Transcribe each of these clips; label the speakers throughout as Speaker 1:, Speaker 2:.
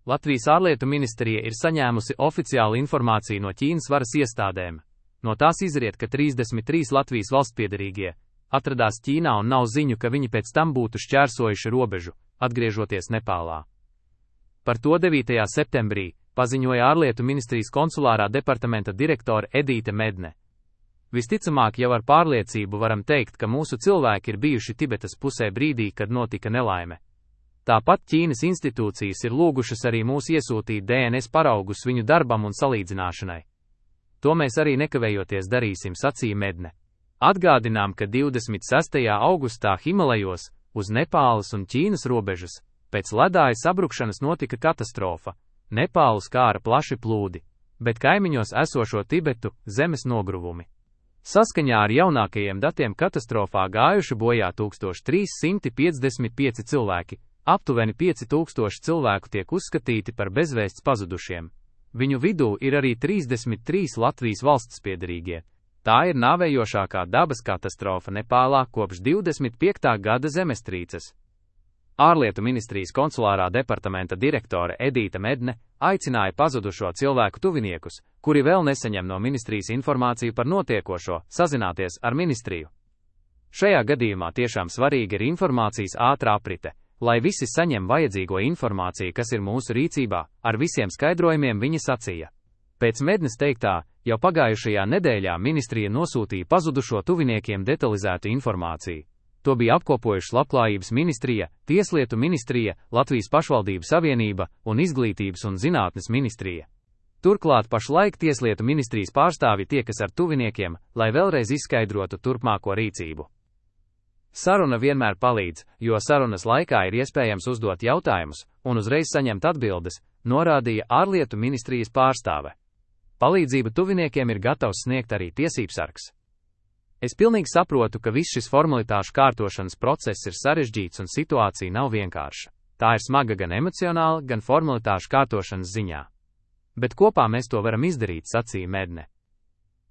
Speaker 1: Latvijas ārlietu ministrija ir saņēmusi oficiālu informāciju no Ķīnas varas iestādēm. No tās izriet, ka 33 Latvijas valstspiederīgie atradās Ķīnā un nav ziņu, ka viņi pēc tam būtu šķērsojuši robežu, atgriežoties Nepālā. Par to 9. septembrī paziņoja ārlietu ministrijas konsulārā departamenta direktore Edīte Medne. Visticamāk jau ar pārliecību varam teikt, ka mūsu cilvēki ir bijuši Tibetas pusē brīdī, kad notika nelaime. Tāpat Ķīnas institūcijas ir lūgušas arī mūs iesūtīt DNS paraugus viņu darbam un salīdzināšanai. To mēs arī nekavējoties darīsim, sacīja Medne. Atgādinām, ka 26. augustā Himalajos, uz Nepālas un Ķīnas robežas, pēc ledāja sabrukšanas notika katastrofa. Nepālu skāra plaši plūdi, bet kaimiņos esošo Tibetu zemes nogruvumi. Saskaņā ar jaunākajiem datiem katastrofā gājuši bojā 1355 cilvēki, aptuveni 5000 cilvēku tiek uzskatīti par bezvēsts pazudušiem. Viņu vidū ir arī 33 Latvijas valstspiederīgie. Tā ir nāvējošākā dabas katastrofa Nepālā kopš 25. gada zemestrīces. Ārlietu ministrijas konsulārā departamenta direktore Edīte Medne aicināja pazudušo cilvēku tuviniekus, kuri vēl nesaņem no ministrijas informāciju par notiekošo, sazināties ar ministriju. Šajā gadījumā tiešām svarīga ir informācijas ātra aprite, lai visi saņem vajadzīgo informāciju, kas ir mūsu rīcībā, ar visiem skaidrojumiem viņa sacīja. Pēc Mednes teiktā, jau pagājušajā nedēļā ministrija nosūtīja pazudušo tuviniekiem detalizētu informāciju. To bija apkopojušas Labklājības ministrija, Tieslietu ministrija, Latvijas pašvaldību savienība un Izglītības un zinātnes ministrija. Turklāt pašlaik Tieslietu ministrijas pārstāvji tiekas ar tuviniekiem, lai vēlreiz izskaidrotu turpmāko rīcību. Saruna vienmēr palīdz, jo sarunas laikā ir iespējams uzdot jautājumus un uzreiz saņemt atbildes, norādīja ārlietu ministrijas pārstāve. Palīdzību tuviniekiem ir gatavs sniegt arī tiesībsargs. Es pilnīgi saprotu, ka viss šis formalitāšu kārtošanas process ir sarežģīts un situācija nav vienkārša. Tā ir smaga gan emocionāli, gan formalitāšu kārtošanas ziņā. Bet kopā mēs to varam izdarīt, sacīja Medne.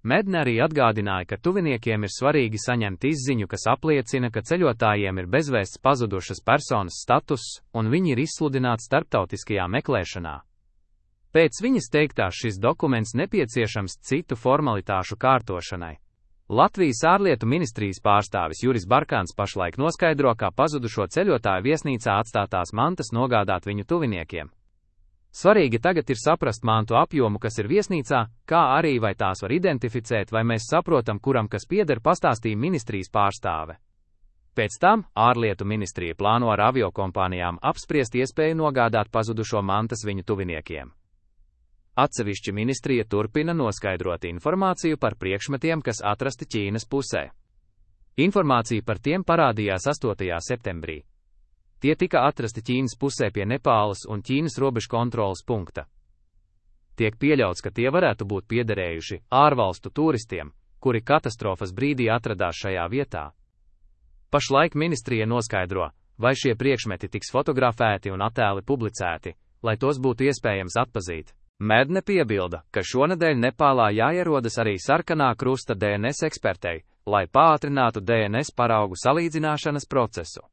Speaker 1: Medne arī atgādināja, ka tuviniekiem ir svarīgi saņemt izziņu, kas apliecina, ka ceļotājiem ir bezvēsts pazudušas personas status, un viņi ir izsludināti starptautiskajā meklēšanā. Pēc viņas teiktā šis dokuments nepieciešams citu formalitāšu kārtošanai. Latvijas ārlietu ministrijas pārstāvis Juris Barkāns pašlaik noskaidro, kā pazudušo ceļotāju viesnīcā atstātās mantas nogādāt viņu tuviniekiem. Svarīgi tagad ir saprast mantu apjomu, kas ir viesnīcā, kā arī vai tās var identificēt, vai mēs saprotam, kuram kas pieder, pastāstīja ministrijas pārstāve. Pēc tam ārlietu ministrija plāno ar aviokompānijām apspriest iespēju nogādāt pazudušo mantas viņu tuviniekiem. Atsevišķi ministrija turpina noskaidrot informāciju par priekšmetiem, kas atrasti Ķīnas pusē. Informācija par tiem parādījās 8. septembrī. Tie tika atrasti Ķīnas pusē pie Nepālas un Ķīnas robežu kontroles punkta. Tiek pieļauts, ka tie varētu būt piederējuši ārvalstu turistiem, kuri katastrofas brīdī atradās šajā vietā. Pašlaik ministrija noskaidro, vai šie priekšmeti tiks fotografēti un attēli publicēti, lai tos būtu iespējams atpazīt. Medne piebilda, ka šonedēļ Nepālā jāierodas arī sarkanā krusta DNS ekspertei, lai pātrinātu DNS paraugu salīdzināšanas procesu.